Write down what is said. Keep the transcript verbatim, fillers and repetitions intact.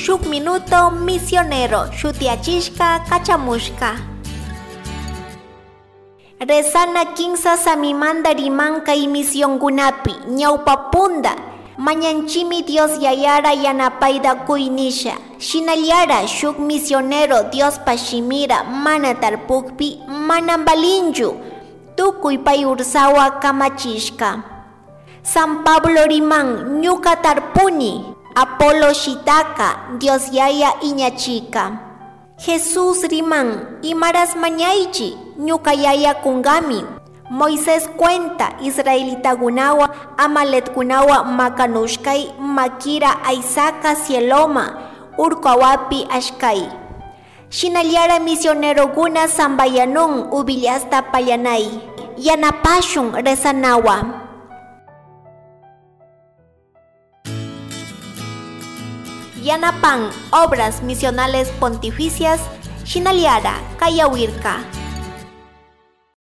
Shuk Minuto Misionero shutiachishka kachamushka. Rezana kinsa samimanda rimankay misionkunapi ñawpapunda mañanchimi Dios yayara yanapayta kuynisha shinallara shuk misionero Diospa shimira mana tarpukpi mana valinchu tukuy pay ursawa kamachishka. San Pablo riman ñuka tarpuni, Apolo shitaka, Dios yaya iñachika. Jesús riman imaras mañaychi, ñuka yaya kungami. Moisés cuenta israelitakunawa amaletkunawa makanushkay makira aysaka cieloma urkuawapi ashkay. Shinallara misionerokuna sambayanun ubillasta pallanay. Yanapashun rezanawa. Yanapan Obras Misionales Pontificias, Shinaliara, Kayawirka.